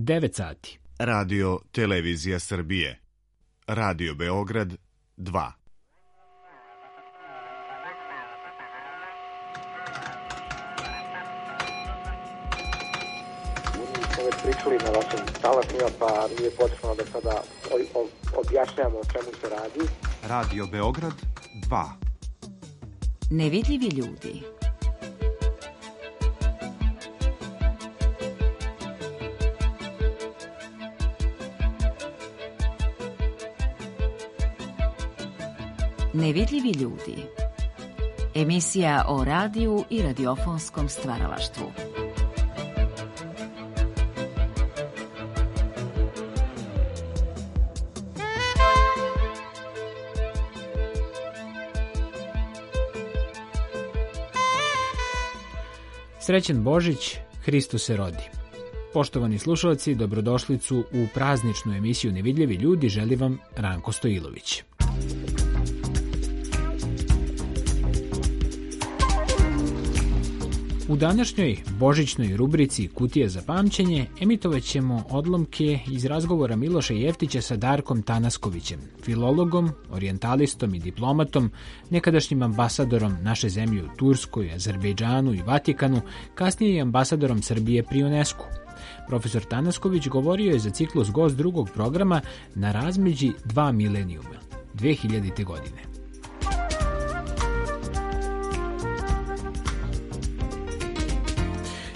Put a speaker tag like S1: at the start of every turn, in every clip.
S1: 9 sati.
S2: Radio Televizija Srbije. Radio Beograd 2.
S3: Već pričali na vašim talasima, pa nije potrebno da sada objašnjamo o čemu se radi.
S2: Radio Beograd 2.
S4: Nevidljivi ljudi. Nevidljivi ljudi. Emisija o radiju i radiofonskom stvaralaštvu.
S1: Srećan Božić, Hristos se rodi. Poštovani slušalci, dobrodošlicu u prazničnu emisiju Nevidljivi ljudi želi vam Ranko Stojilović. U današnjoj božićnoj rubrici Kutija za pamćenje emitovat ćemo odlomke iz razgovora Miloša Jeftića sa Darkom Tanaskovićem, filologom, orijentalistom i diplomatom, nekadašnjim ambasadorom naše zemlje u Turskoj, Azerbejdžanu i Vatikanu, kasnije i ambasadorom Srbije pri UNESCO. Profesor Tanasković govorio je za ciklus Gost drugog programa na razmeđi 2 milenijuma, 2000. godine.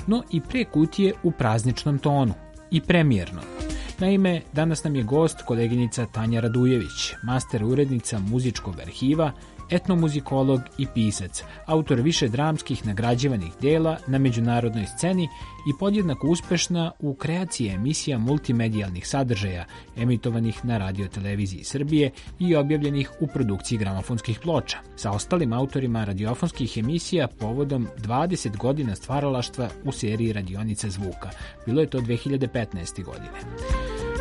S1: No i pre kutije u prazničnom tonu i premijerno. Naime, danas nam je gost koleginica Tanja Radujević, master urednica muzičkog arhiva, etnomuzikolog i pisac, autor više dramskih nagrađivanih dela na međunarodnoj sceni i podjednako uspešna u kreaciji emisija multimedijalnih sadržaja emitovanih na Radio Televiziji Srbije i objavljenih u produkciji gramofonskih ploča, sa ostalim autorima radiofonskih emisija povodom 20 godina stvaralaštva u seriji Radionica zvuka. Bilo je to 2015. godine.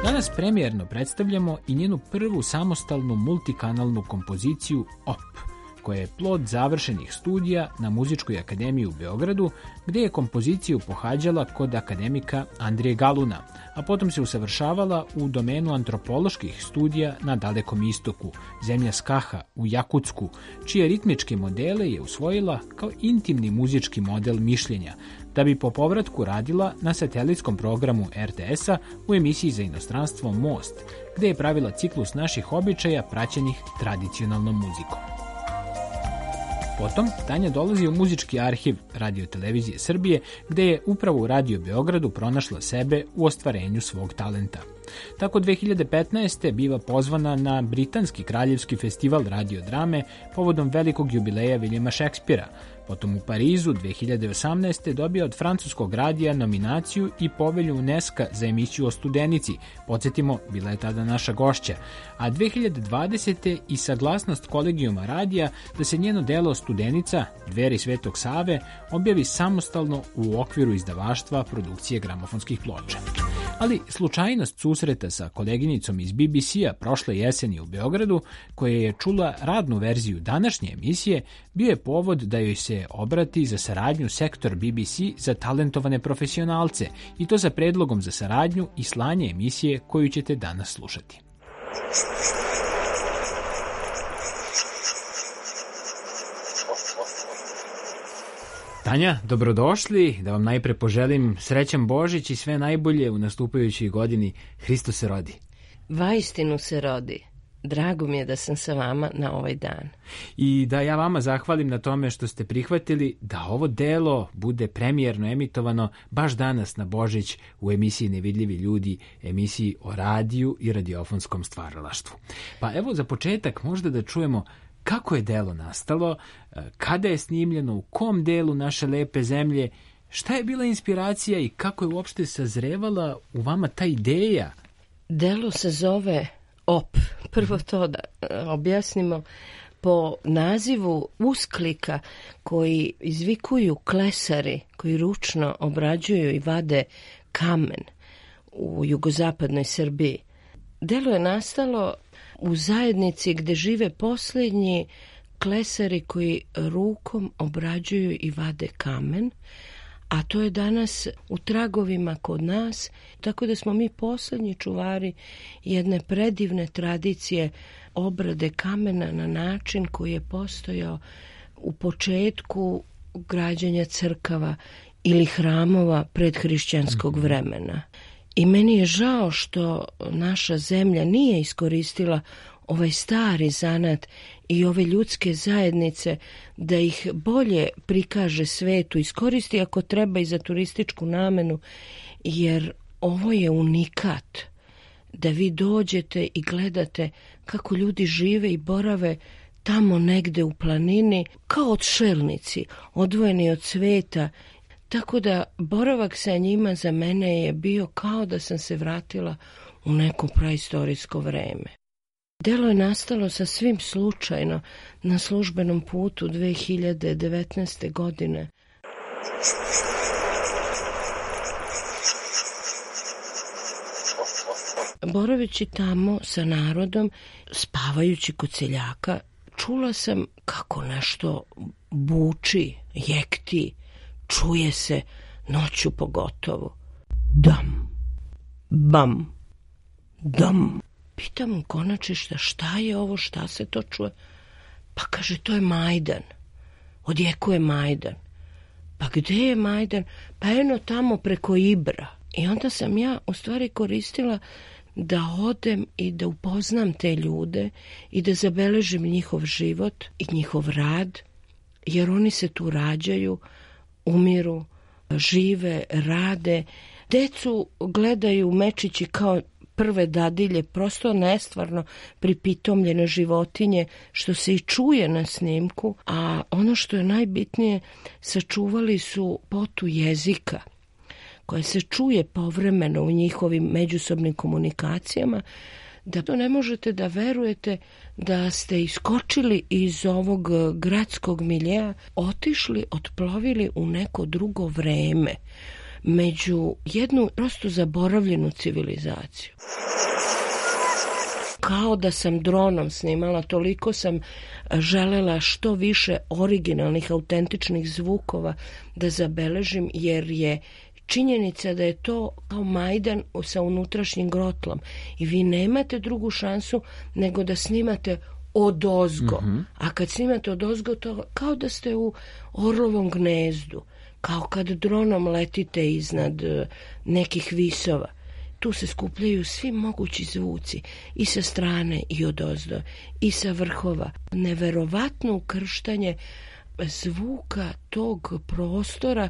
S1: Danas premijerno predstavljamo i njenu prvu samostalnu multikanalnu kompoziciju OP, koja je plod završenih studija na Muzičkoj akademiji u Beogradu, gde je kompoziciju pohađala kod akademika Andrije Galuna, a potom se usavršavala u domenu antropoloških studija na Dalekom istoku, zemlja Skaha u Jakutsku, čije ritmičke modele je usvojila kao intimni muzički model mišljenja, da bi po povratku radila na satelitskom programu RTS-a u emisiji za inostranstvo Most, gde je pravila ciklus naših običaja praćenih tradicionalnom muzikom. Potom Tanja dolazi u muzički arhiv Radio Televizije Srbije, gde je upravo u Radio Beogradu pronašla sebe u ostvarenju svog talenta. Tako 2015. biva pozvana na Britanski kraljevski festival radiodrame povodom velikog jubileja Viljama Šekspira. Potom u Parizu 2018. dobija od francuskog radija nominaciju i povelju UNESCO za emisiju o Studenici. Podsjetimo, bila je tada naša gošća. A 2020. i saglasnost kolegijuma radija da se njeno delo Studenica, Dveri Svetog Save, objavi samostalno u okviru izdavaštva produkcije gramofonskih ploča. Ali slučajnost susreta sa koleginicom iz BBC-a prošle jeseni u Beogradu, koja je čula radnu verziju današnje emisije, bio je povod da joj se obrati za saradnju sektor BBC za talentovane profesionalce, i to sa predlogom za saradnju i slanje emisije koju ćete danas slušati. Tanja, dobrodošli, da vam najpre poželim srećan Božić i sve najbolje u nastupajućoj godini. Hristos se rodi.
S5: Vaistinu se rodi. Drago mi je da sam sa vama na ovaj dan.
S1: I da ja vama zahvalim na tome što ste prihvatili da ovo delo bude premijerno emitovano baš danas na Božić u emisiji Nevidljivi ljudi, emisiji o radiju i radiofonskom stvaralaštvu. Pa evo za početak možda da čujemo kako je delo nastalo, kada je snimljeno, u kom delu naše lepe zemlje, šta je bila inspiracija i kako je uopšte sazrevala u vama ta ideja?
S5: Delo se zove OP. Prvo to da objasnimo. Po nazivu usklika koji izvikuju klesari, koji ručno obrađuju i vade kamen u jugozapadnoj Srbiji. Delo je nastalo u zajednici gde žive posljednji klesari koji rukom obrađuju i vade kamen, a to je danas u tragovima kod nas, tako da smo mi poslednji čuvari jedne predivne tradicije obrade kamena na način koji je postojao u početku građenja crkava ili hramova predhrišćanskog vremena. I meni je žao što naša zemlja nije iskoristila ovaj stari zanat i ove ljudske zajednice da ih bolje prikaže svetu, iskoristi ako treba i za turističku namenu, jer ovo je unikat da vi dođete i gledate kako ljudi žive i borave tamo negde u planini, kao odšelnici, odvojeni od sveta. Tako da boravak sa njima za mene je bio kao da sam se vratila u neko praistorijsko vreme. Delo je nastalo sasvim slučajno na službenom putu 2019. godine. Boraveći tamo sa narodom, spavajući kod seljaka, čula sam kako nešto buči, jekti, čuje se noću pogotovo. Dam, bam, dam. Pitam u konačišta šta je ovo, šta se to čuje? Pa kaže, to je Majdan. Odjekuje Majdan. Pa gde je Majdan? Pa eno tamo preko Ibra. I onda sam ja u stvari koristila da odem i da upoznam te ljude i da zabeležim njihov život i njihov rad, jer oni se tu rađaju, umiru, žive, rade. Decu gledaju mečići kao prve dadilje, prosto nestvarno pripitomljene životinje, što se i čuje na snimku, a ono što je najbitnije, sačuvali su potu jezika, koja se čuje povremeno u njihovim međusobnim komunikacijama, da to ne možete da verujete da ste iskočili iz ovog gradskog miljeja, otišli, otplovili u neko drugo vreme, među jednu prosto zaboravljenu civilizaciju. Kao da sam dronom snimala, toliko sam želela što više originalnih, autentičnih zvukova da zabeležim, jer je činjenica da je to kao Majdan sa unutrašnjim grotlom i vi nemate drugu šansu nego da snimate odozgo. A kad snimate odozgo, to kao da ste u orlovom gnezdu, kao kad dronom letite iznad nekih visova. Tu se skupljaju svi mogući zvuci, i sa strane i odozdo, i sa vrhova. Neverovatno ukrštanje zvuka tog prostora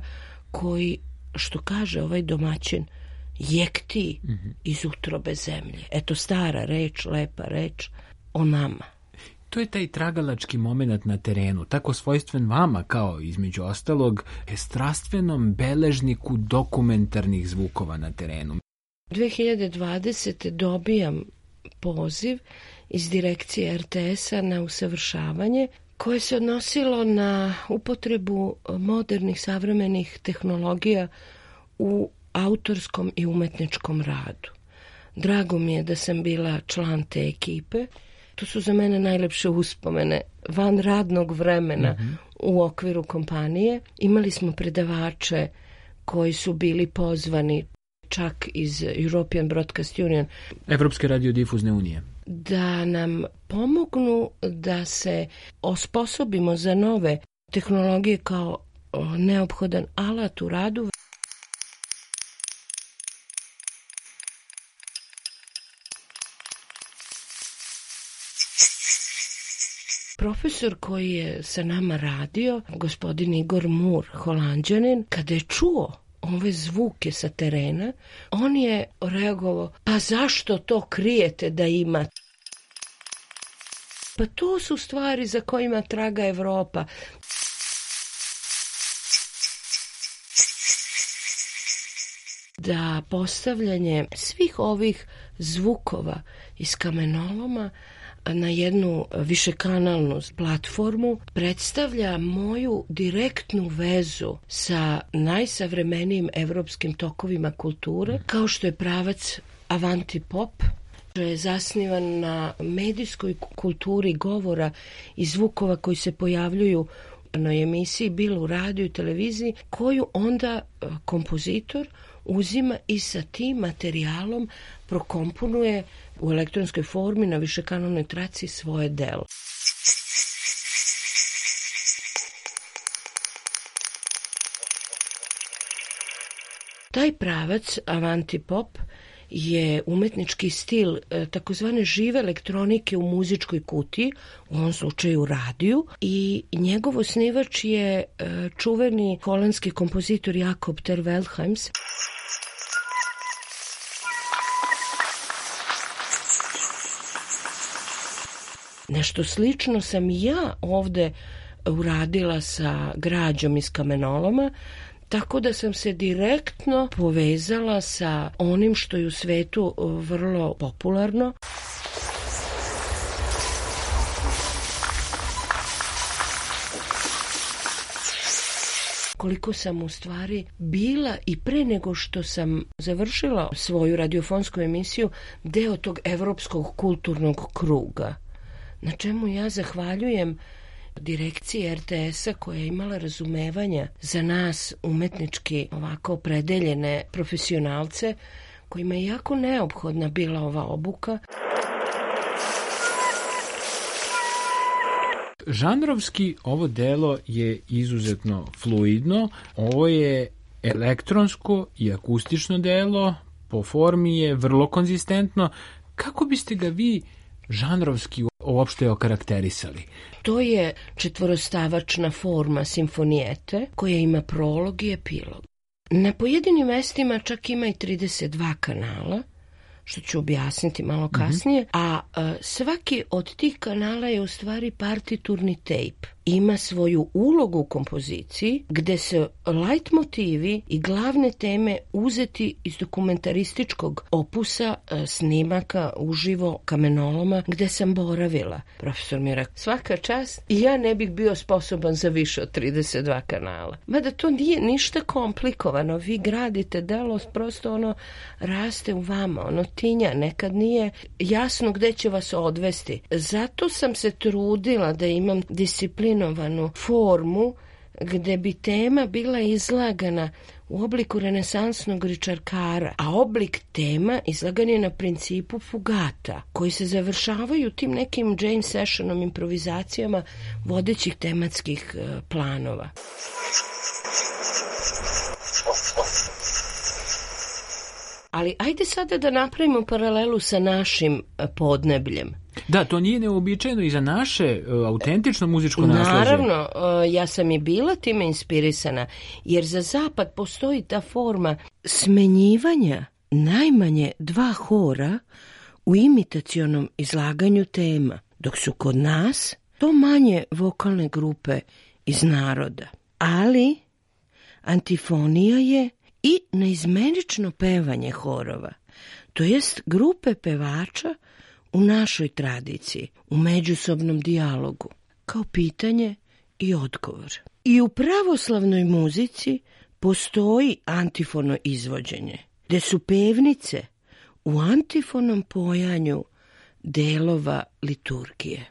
S5: koji, što kaže ovaj domaćin, jekti iz utrobe zemlje. Eto, stara reč, lepa reč o nama.
S1: To je taj tragalački moment na terenu, tako svojstven vama kao, između ostalog, strastvenom beležniku dokumentarnih zvukova na terenu.
S5: 2020. dobijam poziv iz direkcije RTS-a na usavršavanje koje se odnosilo na upotrebu modernih savremenih tehnologija u autorskom i umetničkom radu. Drago mi je da sam bila član te ekipe. To su za mene najlepše uspomene van radnog vremena u okviru kompanije. Imali smo predavače koji su bili pozvani čak iz European Broadcast Union,
S1: Evropske radiodifuzne unije,
S5: da nam pomognu da se osposobimo za nove tehnologije kao neophodan alat u radu. Profesor koji je sa nama radio, gospodin Igor Mur, Holanđanin, kada je čuo ove zvuke sa terena, on je reagovao, pa zašto to krijete da ima? Pa to su stvari za kojima traga Evropa. Da postavljanje svih ovih zvukova iz kamenoloma na jednu višekanalnu platformu predstavlja moju direktnu vezu sa najsavremenijim evropskim tokovima kulture, kao što je pravac Avanti Pop, što je zasnivan na medijskoj kulturi govora i zvukova koji se pojavljuju emisiji bilo u radiju i televiziji, koju onda kompozitor uzima i sa tim materijalom prokomponuje u elektronskoj formi na višekanalnoj traci svoje delo. Taj pravac avanti pop je umetnički stil takozvane žive elektronike u muzičkoj kutiji, u ovom slučaju radiju, i njegov osnivač je čuveni holandski kompozitor Jacob ter Weldheims. Nešto slično sam ja ovde uradila sa građom iz kamenoloma, tako da sam se direktno povezala sa onim što je u svetu vrlo popularno. Koliko sam u stvari bila i pre nego što sam završila svoju radiofonsku emisiju deo tog evropskog kulturnog kruga, na čemu ja zahvaljujem direkciji RTS-a koja je imala razumevanja za nas umetnički ovako opredeljene profesionalce kojima je jako neophodna bila ova obuka.
S1: Žanrovski ovo delo je izuzetno fluidno. Ovo je elektronsko i akustično delo, po formi je vrlo konzistentno. Kako biste ga vi žanrovski uopšte okarakterisali?
S5: To je četvorostavačna forma simfonijete koja ima prolog i epilog. Na pojedinim mestima čak ima i 32 kanala, što ću objasniti malo kasnije, a svaki od tih kanala je u stvari partiturni tejp. Ima svoju ulogu u kompoziciji gde se light motivi i glavne teme uzeti iz dokumentarističkog opusa snimaka uživo kamenoloma gde sam boravila. Profesor mi je rekao, svaka čast, i ja ne bih bio sposoban za više od 32 kanala. Mada to nije ništa komplikovano, vi gradite delo, prosto ono raste u vama, ono tinja, nekad nije jasno gde će vas odvesti. Zato sam se trudila da imam disciplinovanu formu gde bi tema bila izlagana u obliku renesansnog ričarkara, a oblik tema izlagan je na principu fugata, koji se završavaju tim nekim jam sessionom, improvizacijama vodećih tematskih planova. Ali ajde sada da napravimo paralelu sa našim podnebljem.
S1: Da, to nije neobičajeno i za naše autentično muzičko nasleđe.
S5: Naravno, ja sam i bila time inspirisana, jer za zapad postoji ta forma smenjivanja najmanje 2 hora u imitacionom izlaganju tema, dok su kod nas to manje vokalne grupe iz naroda. Ali antifonija je i neizmenično pevanje horova, to jest grupe pevača u našoj tradiciji, u međusobnom dijalogu, kao pitanje i odgovor. I u pravoslavnoj muzici postoji antifono izvođenje, gde su pevnice u antifonom pojanju delova liturgije.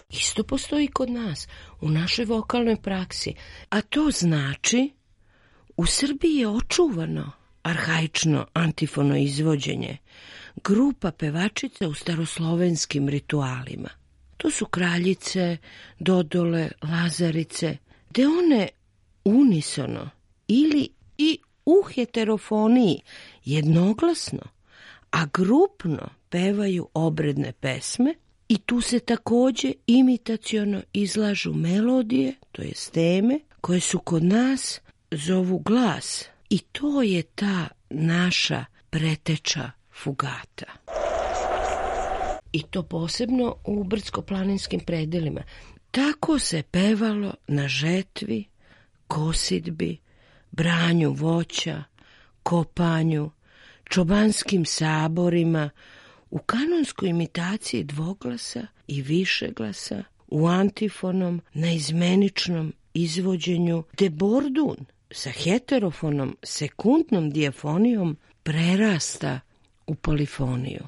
S5: Isto postoji kod nas, u našoj vokalnoj praksi, a to znači u Srbiji je očuvano arhaično antifono izvođenje grupa pevačica u staroslovenskim ritualima. To su kraljice, dodole, lazarice, gde one unisono ili i u heterofoniji jednoglasno, a grupno pevaju obredne pesme i tu se takođe imitaciono izlažu melodije, to je teme, koje su kod nas zovu glas. I to je ta naša preteča fugata. I to posebno u brdsko-planinskim predelima. Tako se pevalo na žetvi, kosidbi, branju voća, kopanju, čobanskim saborima, u kanonskoj imitaciji dvoglasa i višeglasa, u antifonom, neizmeničnom izvođenju, gde bordun sa heterofonom, sekundnom dijafonijom prerasta u polifoniju.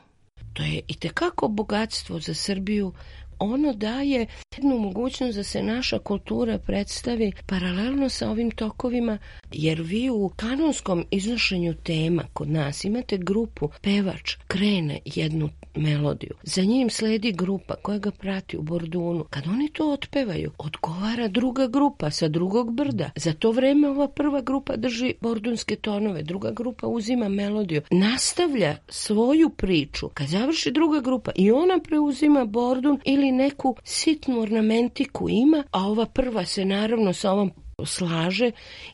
S5: To je itekako bogatstvo za Srbiju ono daje jednu mogućnost da se naša kultura predstavi paralelno sa ovim tokovima, jer vi u kanonskom iznošenju tema kod nas imate grupu, pevač krene jednu melodiju, za njim sledi grupa koja ga prati u bordunu. Kad oni to otpevaju, odgovara druga grupa sa drugog brda. Za to vreme ova prva grupa drži bordunske tonove, druga grupa uzima melodiju, nastavlja svoju priču. Kad završi druga grupa i ona preuzima bordun ili neku sitnu ornamentiku ima, a ova prva se naravno sa ovom slaže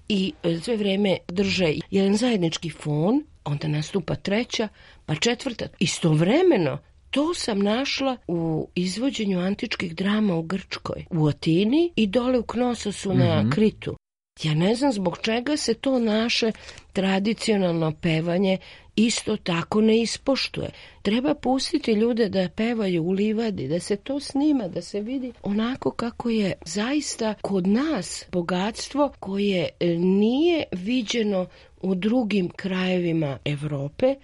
S5: i sve vreme drže jedan zajednički fon, onda nastupa treća, pa četvrta. Istovremeno, to sam našla u izvođenju antičkih drama u Grčkoj, u Atini i dole u Knososu na Kritu. Ja ne znam zbog čega se to naše tradicionalno pevanje isto tako ne ispoštuje. Treba pustiti ljude da pevaju u livadi, da se to snima, da se vidi onako kako je zaista kod nas bogatstvo koje nije viđeno u drugim krajevima Evrope,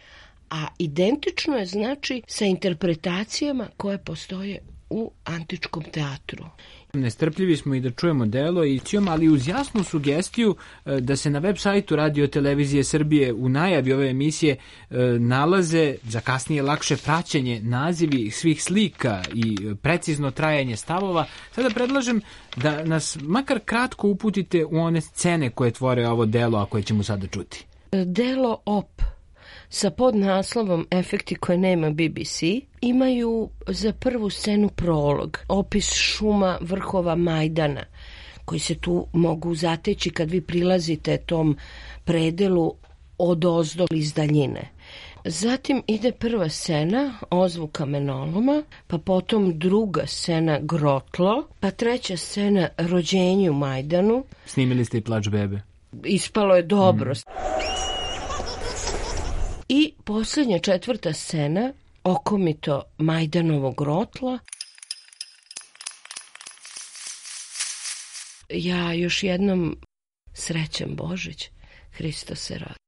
S5: a identično je znači sa interpretacijama koje postoje u antičkom teatru.
S1: Nestrpljivi smo i da čujemo delo i ali uz jasnu sugestiju da se na web sajtu Radio Televizije Srbije u najavi ove emisije nalaze za kasnije lakše praćenje nazivi svih slika i precizno trajanje stavova. Sada predlažem da nas makar kratko uputite u one scene koje tvore ovo delo, a koje ćemo sada čuti.
S5: Delo Op sa podnaslovom Efekti koje nema BBC imaju za prvu scenu prolog, opis šuma vrhova Majdana, koji se tu mogu zateći kad vi prilazite tom predelu odozdo iz daljine. Zatim ide prva scena, ozvuk kamenoloma, pa potom druga scena grotlo, pa treća scena rođenje u Majdanu.
S1: Snimili ste i Plač bebe.
S5: Ispalo je dobro. I posljednja četvrta scena, okomito Majdanovog grotla. Ja još jednom srećan Božić, Hristos se rodi.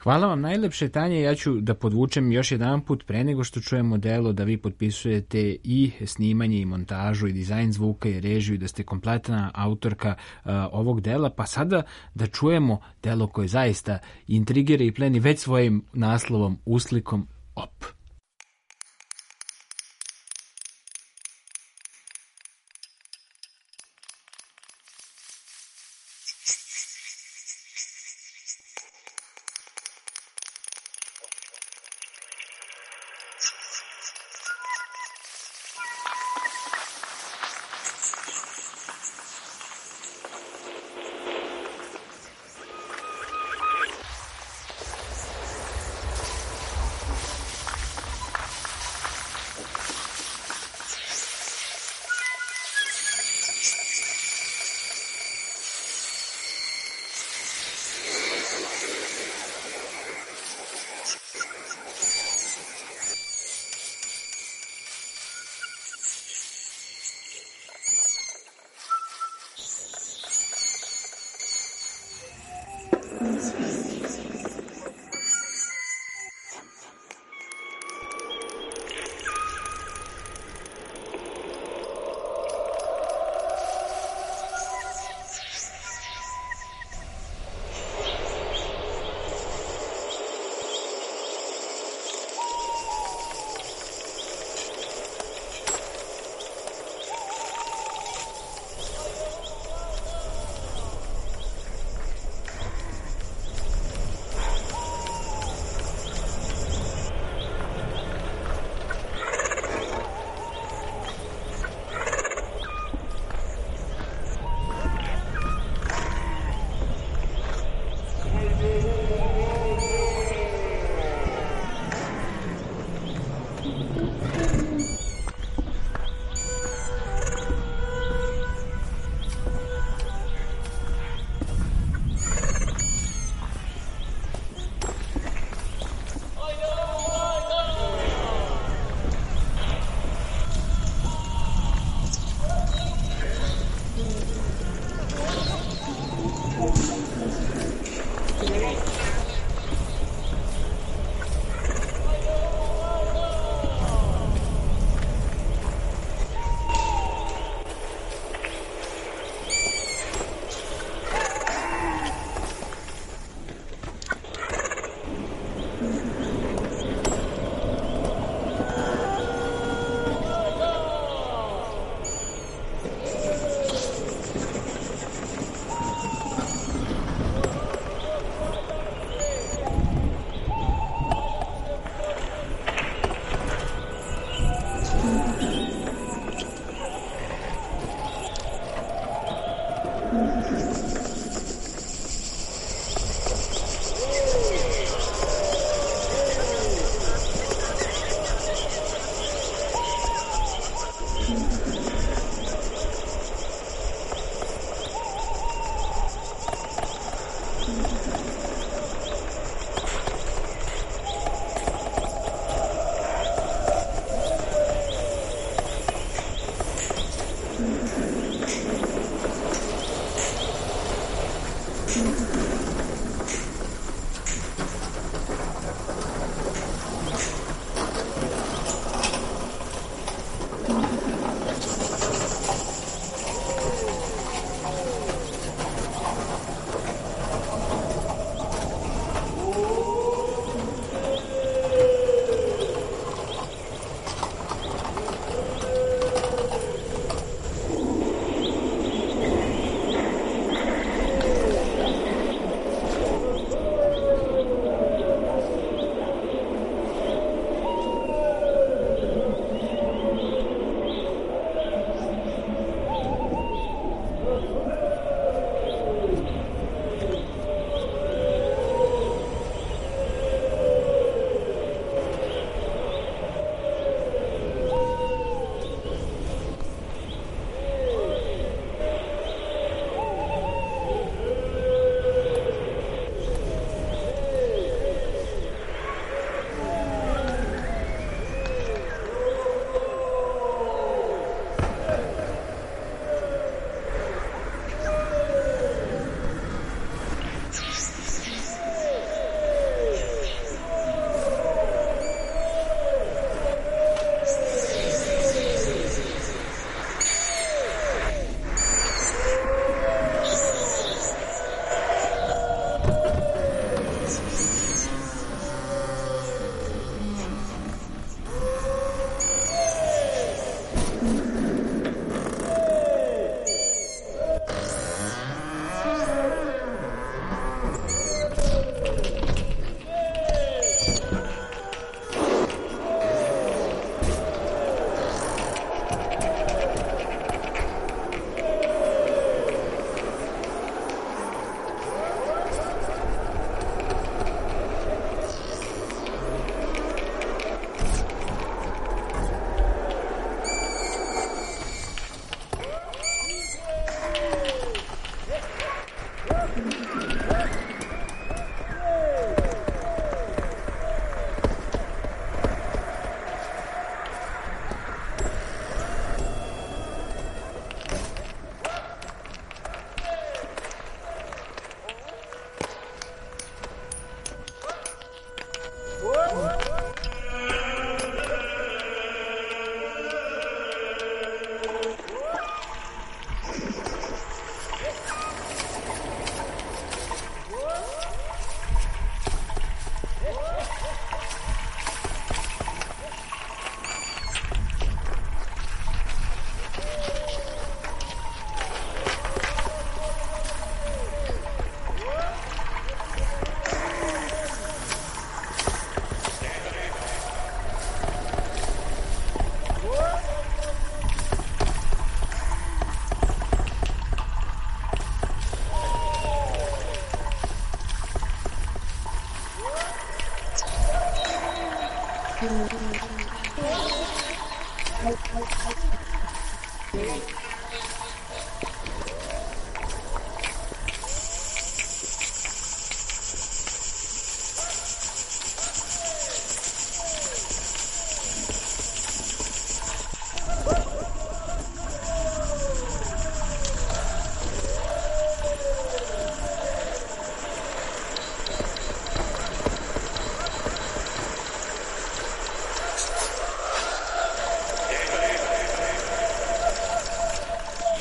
S1: Hvala vam najlepše, Tanja. Ja ću da podvučem još jedan put pre nego što čujemo delo da vi potpisujete i snimanje i montažu i dizajn zvuka i režiju i da ste kompletna autorka ovog dela, pa sada da čujemo delo koje zaista intrigira i pleni već svojim naslovom, uslikom Op.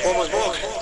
S6: Pomoć Bog!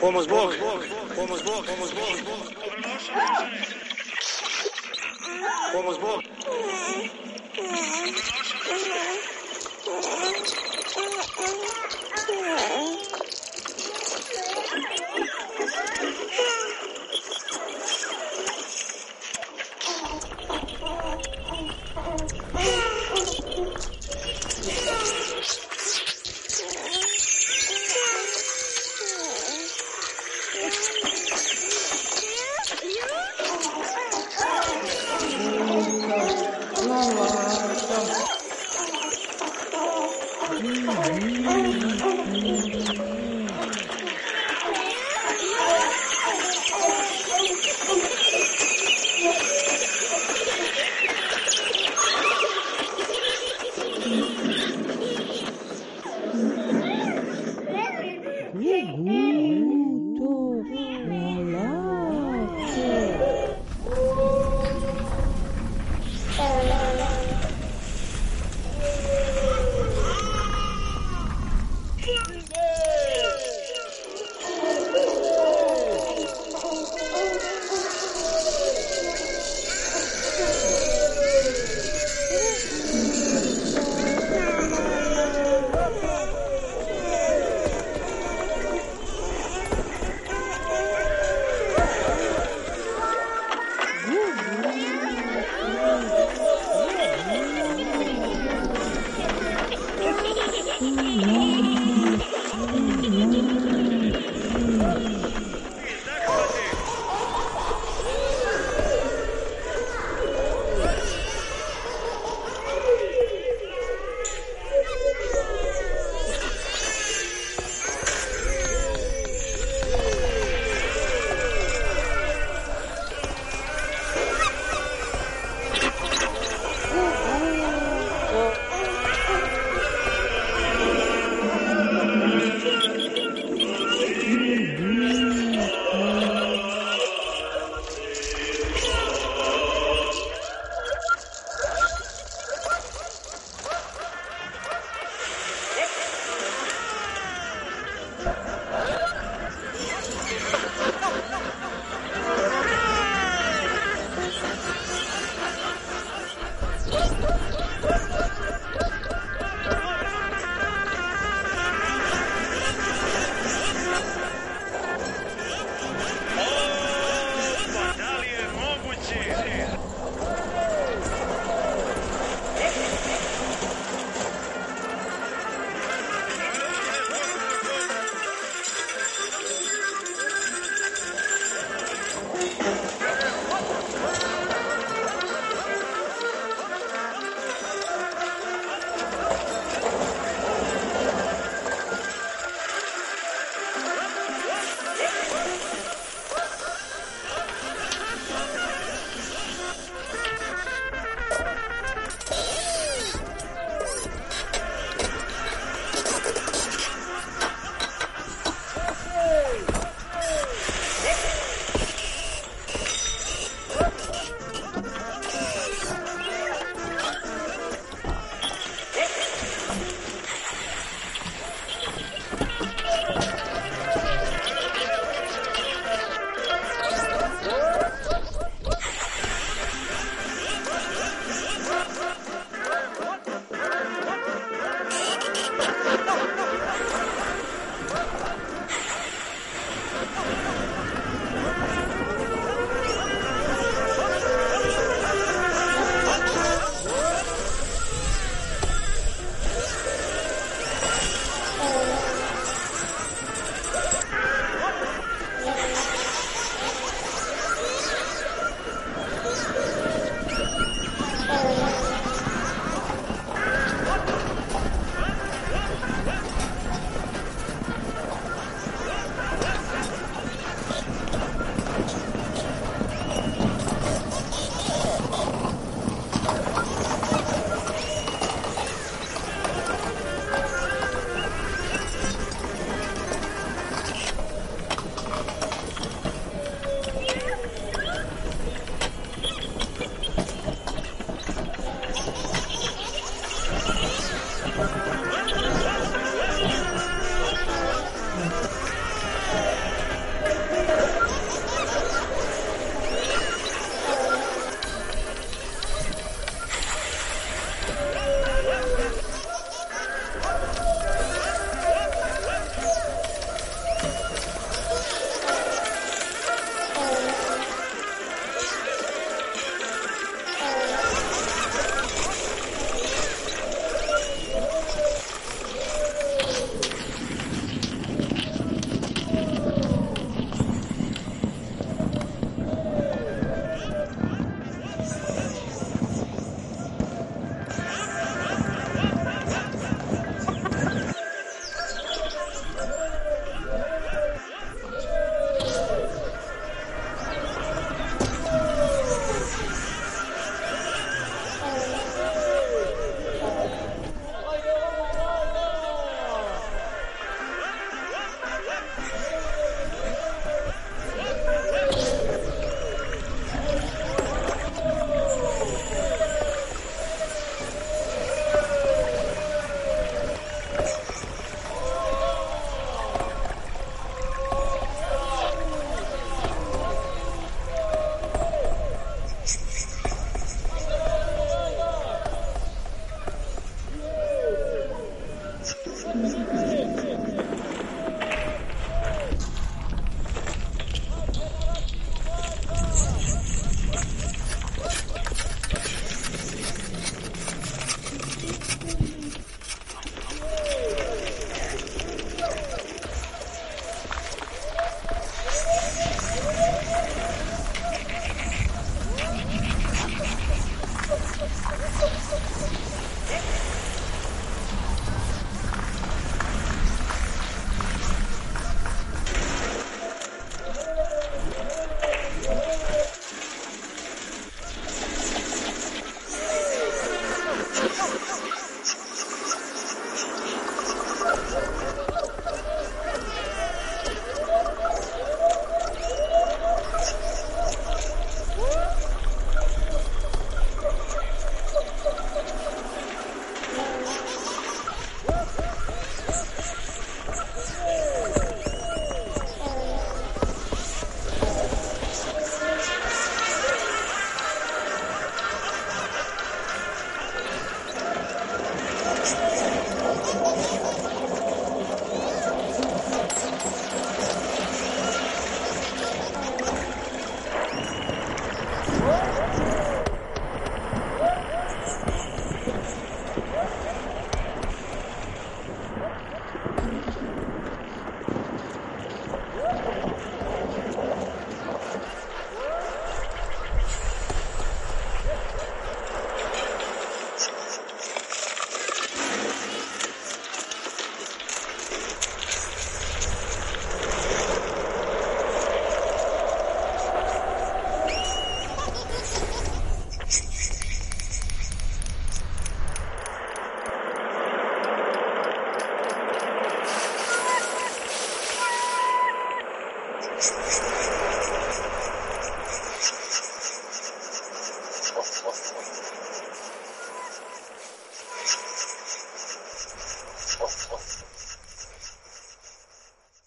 S6: Pomoz Bog, pomoz Bog, pomoz Bog, pomoz Bog.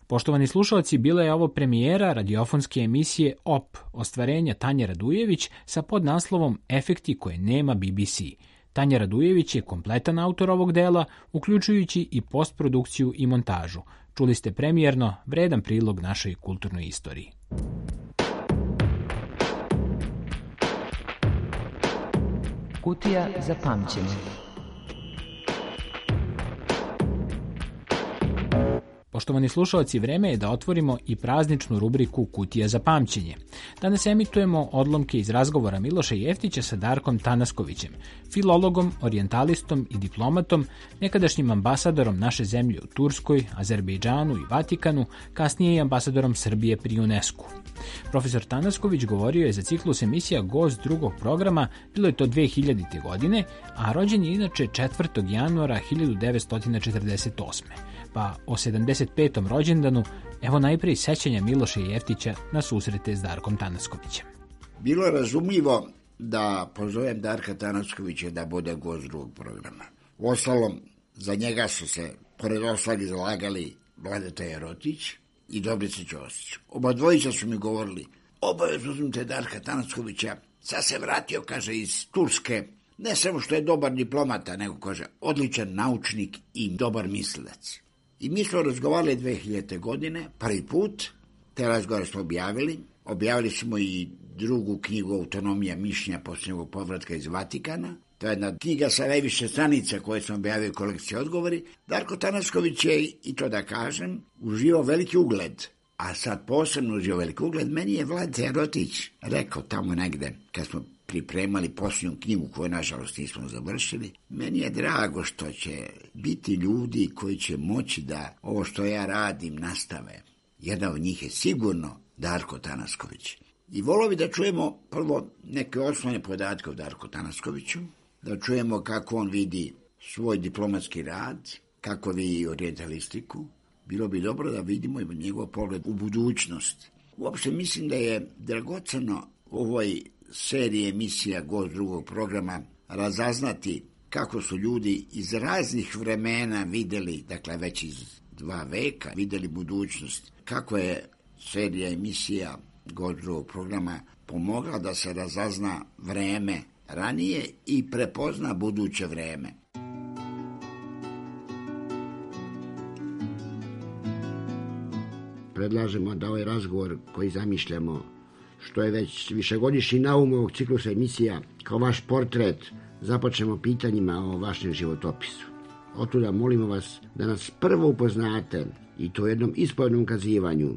S1: Poštovani slušalci, bila je ovo premijera radiofonske emisije OP, ostvarenja Tanje Radujević sa podnaslovom Efekti koje nema BBC. Tanja Radujević je kompletan autor ovog dela, uključujući i postprodukciju i montažu. Čuli ste premijerno vredan prilog našoj kulturnoj istoriji.
S7: Kutija za pamćenje.
S1: Poštovani slušalci, vreme je da otvorimo i prazničnu rubriku Kutija za pamćenje. Danas emitujemo odlomke iz razgovora Miloša Jeftića sa Darkom Tanaskovićem, filologom, orijentalistom i diplomatom, nekadašnjim ambasadorom naše zemlje u Turskoj, Azerbejdžanu i Vatikanu, kasnije i ambasadorom Srbije pri UNESCO. Profesor Tanasković govorio je za ciklus emisija Gost drugog programa, bilo je to 2000. godine, a rođen je inače 4. januara 1948. Pa o 75. rođendanu, evo najprije sećanja Miloša Jeftića na susrete s Darkom Tanaskovićem.
S8: Bilo je razumljivo da pozovem Darka Tanaskovića da bude gost drugog programa. Uostalom, za njega su se, pored ostalih, zalagali Vladeta Jerotić i Dobrica Ćosić. Oba dvojica su mi govorili, obavezno uzmite Darka Tanaskovića, sad se vratio, kaže, iz Turske, ne samo što je dobar diplomata, nego, kaže, odličan naučnik i dobar mislilac. I mi smo razgovarali 2000. godine, prvi put, te razgovore smo objavili. Objavili smo i drugu knjigu Autonomija mišljenja posljednjeg povratka iz Vatikana. To je jedna knjiga sa najviše stranica koje smo objavili u kolekciji odgovori. Darko Tanasković je, i to da kažem, uživao veliki ugled. A sad posebno uživao veliki ugled. Meni je Vladeta Jerotić rekao tamo negde, kad smo pripremali posljednju knjigu koju nažalost nismo završili, meni je drago što će biti ljudi koji će moći da ovo što ja radim nastave. Jedan od njih je sigurno Darko Tanasković. I volio bi da čujemo prvo neke osnovne podatke o Darku Tanaskoviću, da čujemo kako on vidi svoj diplomatski rad, kako vidi orijentalistiku. Bilo bi dobro da vidimo i njegov pogled u budućnost. Uopšte mislim da je dragoceno ovoj serije emisija Gost drugog programa razaznati kako su ljudi iz raznih vremena vidjeli, dakle već iz 2 veka, vidjeli budućnost. Kako je serija emisija Gost drugog programa pomogla da se razazna vreme ranije i prepozna buduće vreme.
S9: Predlažemo da ovaj razgovor koji zamišljamo, što je već višegodišnji naum ovog ciklusa emisija, kao vaš portret, započnemo pitanjima o vašem životopisu. Otuda molimo vas da nas prvo upoznate, i to u jednom ispovjednom ukazivanju,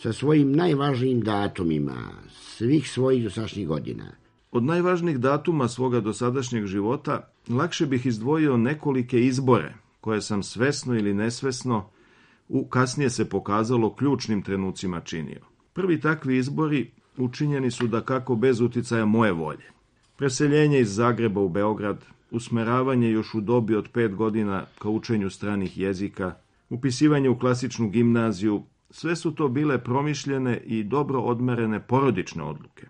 S9: sa svojim najvažnijim datumima svih svojih dosadašnjih godina.
S10: Od najvažnijih datuma svoga dosadašnjeg života lakše bih izdvojio nekolike izbore, koje sam svesno ili nesvesno kasnije se pokazalo ključnim trenucima činio. Prvi takvi izbori učinjeni su dakako bez uticaja moje volje. Preseljenje iz Zagreba u Beograd, usmeravanje još u dobi od 5 godina ka učenju stranih jezika, upisivanje u klasičnu gimnaziju, sve su to bile promišljene i dobro odmerene porodične odluke.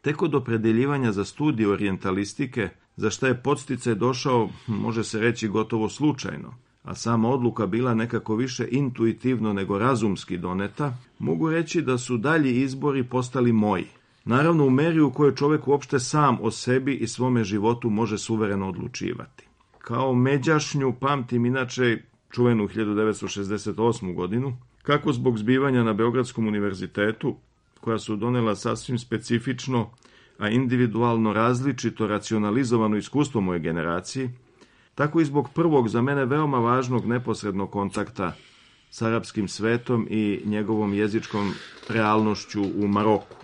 S10: Tek od opredeljivanja za studij orijentalistike, za šta je podsticaj došao, može se reći gotovo slučajno, a sama odluka bila nekako više intuitivno nego razumski doneta, mogu reći da su dalji izbori postali moji. Naravno u meri u kojoj čovjek uopšte sam o sebi i svome životu može suvereno odlučivati. Kao međašnju pamtim inače čuvenu 1968. godinu, kako zbog zbivanja na Beogradskom univerzitetu, koja su donela sasvim specifično, a individualno različito racionalizovano iskustvo moje generaciji, tako i zbog prvog za mene veoma važnog neposrednog kontakta s arapskim svetom i njegovom jezičkom realnošću u Maroku.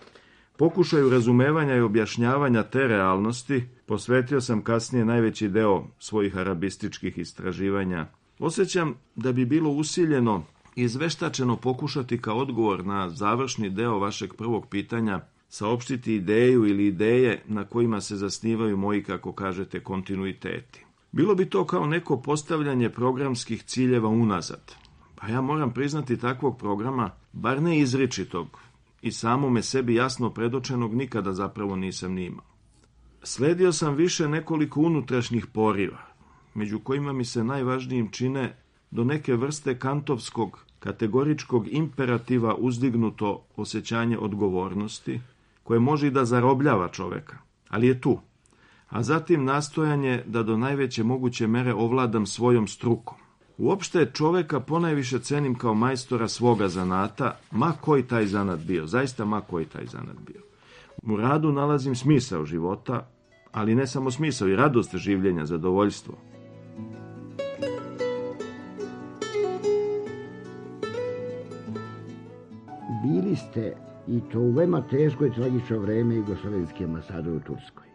S10: Pokušaju razumevanja i objašnjavanja te realnosti posvetio sam kasnije najveći deo svojih arabističkih istraživanja. Osjećam da bi bilo usiljeno i izveštačeno pokušati kao odgovor na završni deo vašeg prvog pitanja saopštiti ideju ili ideje na kojima se zasnivaju moji, kako kažete, kontinuiteti. Bilo bi to kao neko postavljanje programskih ciljeva unazad. Pa ja moram priznati takvog programa, bar ne izričitog i samome sebi jasno predočenog, nikada zapravo nisam ni imao. Sledio sam više nekoliko unutrašnjih poriva, među kojima mi se najvažnijim čine do neke vrste kantovskog kategoričkog imperativa uzdignuto osjećanje odgovornosti, koje može i da zarobljava čoveka, ali je tu. A zatim nastojanje da do najveće moguće mere ovladam svojom strukom. Uopšte čoveka ponajviše cenim kao majstora svoga zanata, ma koji taj zanat bio, zaista ma koji taj zanat bio. U radu nalazim smisao života, ali ne samo smisao, i radost življenja, zadovoljstvo.
S9: Bili ste, i to u veoma teško i tragično vreme, jugoslovenski ambasador u Turskoj.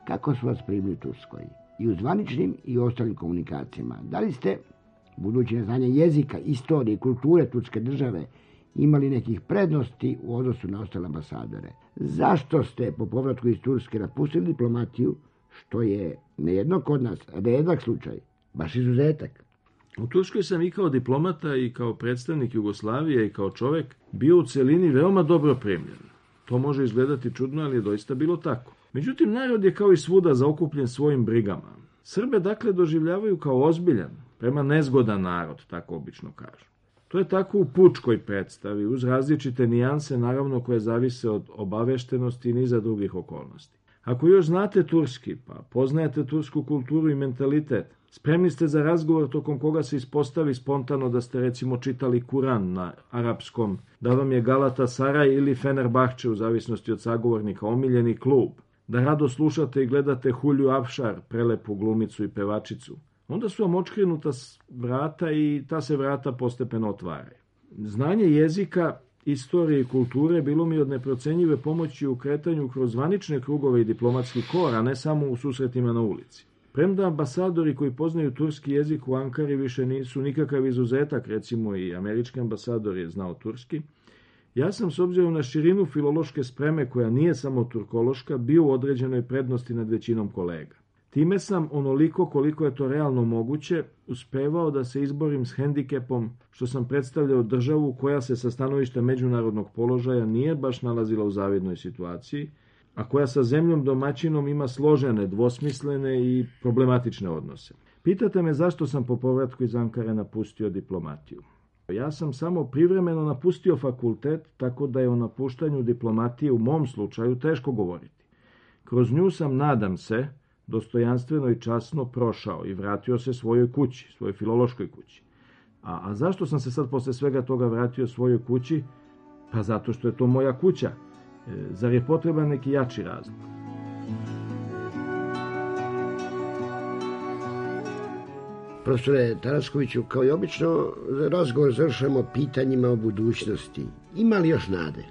S9: Kako su vas primili u Turskoj? I u zvaničnim i ostalim komunikacijama. Da li ste, budući neznanje jezika, istorije i kulture turske države, imali nekih prednosti u odnosu na ostale ambasadore? Zašto ste po povratku iz Turske napustili diplomatiju, što je nejedno kod nas redak slučaj, baš izuzetak?
S10: U Turskoj sam i kao diplomata i kao predstavnik Jugoslavije i kao čovek bio u celini veoma dobro primljen. To može izgledati čudno, ali je doista bilo tako. Međutim, narod je kao i svuda zaokupljen svojim brigama. Srbe dakle doživljavaju kao ozbiljan, prema nezgodan narod, tako obično kažu. To je tako u pučkoj predstavi, uz različite nijanse, naravno, koje zavise od obaveštenosti i niza drugih okolnosti. Ako još znate turski, pa poznajete tursku kulturu i mentalitet, spremni ste za razgovor tokom koga se ispostavi spontano da ste recimo čitali Kuran na arapskom, da vam je Galatasaray ili Fenerbahče, u zavisnosti od sagovornika, omiljeni klub, da rado slušate i gledate Hulju Afšar, prelepu glumicu i pevačicu, onda su vam očkrenuta vrata i ta se vrata postepeno otvaraju. Znanje jezika, istorije i kulture bilo mi od neprocenjive pomoći u kretanju kroz zvanične krugove i diplomatski kor, a ne samo u susretima na ulici. Premda ambasadori koji poznaju turski jezik u Ankari više nisu nikakav izuzetak, recimo i američki ambasador je znao turski, ja sam s obzirom na širinu filološke spreme, koja nije samo turkološka, bio u određenoj prednosti nad većinom kolega. Time sam, onoliko koliko je to realno moguće, uspevao da se izborim s hendikepom što sam predstavljao državu koja se sa stanovišta međunarodnog položaja nije baš nalazila u zavidnoj situaciji, a koja sa zemljom domaćinom ima složene, dvosmislene i problematične odnose. Pitate me zašto sam po povratku iz Ankare napustio diplomatiju. Ja sam samo privremeno napustio fakultet, tako da je o napuštanju diplomatije u mom slučaju teško govoriti. Kroz nju sam, nadam se, dostojanstveno i časno prošao i vratio se svojoj kući, svojoj filološkoj kući. A zašto sam se sad posle svega toga vratio svojoj kući? Pa zato što je to moja kuća. Zar je potreban neki jači razlog?
S9: Profesore Taraskoviću, kao i obično, razgovor završamo pitanjima o budućnosti. Ima li još nade?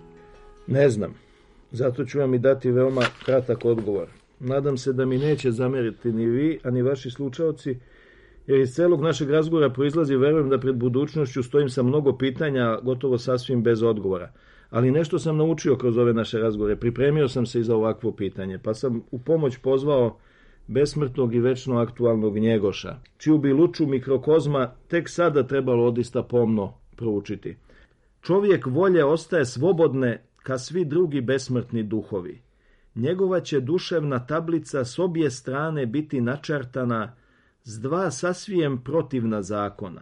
S10: Ne znam. Zato ću vam i dati veoma kratak odgovor. Nadam se da mi neće zameriti ni vi, a ni vaši slušaoci, jer iz celog našeg razgovora proizlazi, verujem, da pred budućnošću stojim sa mnogo pitanja, gotovo sasvim bez odgovora. Ali nešto sam naučio kroz ove naše razgovore. Pripremio sam se i za ovakvo pitanje, pa sam u pomoć pozvao besmrtnog i večno aktualnog Njegoša, čiju bi luču mikrokozma tek sada trebalo odista pomno proučiti. Čovjek volje ostaje slobodne ka svi drugi besmrtni duhovi. Njegova će duševna tablica s obje strane biti načartana s dva sasvijem protivna zakona.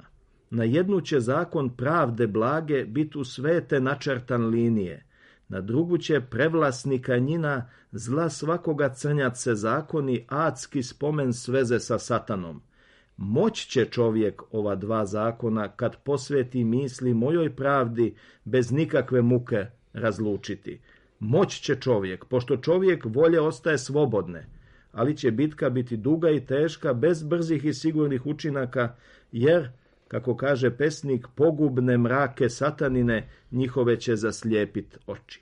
S10: Na jednu će zakon pravde blage biti u svete načartan linije, na drugu će prevlasnika njina zla svakoga crnjat se zakoni, adski spomen sveze sa satanom. Moć će čovjek ova dva zakona, kad posveti misli mojoj pravdi, bez nikakve muke razlučiti. Moć će čovjek, pošto čovjek volje ostaje slobodne, ali će bitka biti duga i teška, bez brzih i sigurnih učinaka, jer, kako kaže pesnik, pogubne mrake satanine njihove će zaslijepit oči.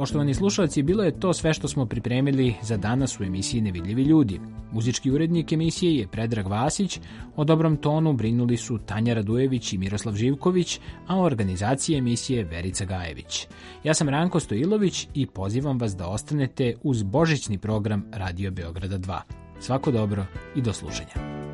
S1: Poštovani slušalci, bilo je to sve što smo pripremili za danas u emisiji Nevidljivi ljudi. Muzički urednik emisije je Predrag Vasić, o dobrom tonu brinuli su Tanja Radujević i Miroslav Živković, a o organizaciji emisije Verica Gajević. Ja sam Ranko Stojilović i pozivam vas da ostanete uz božićni program Radio Beograda 2. Svako dobro i do slušanja.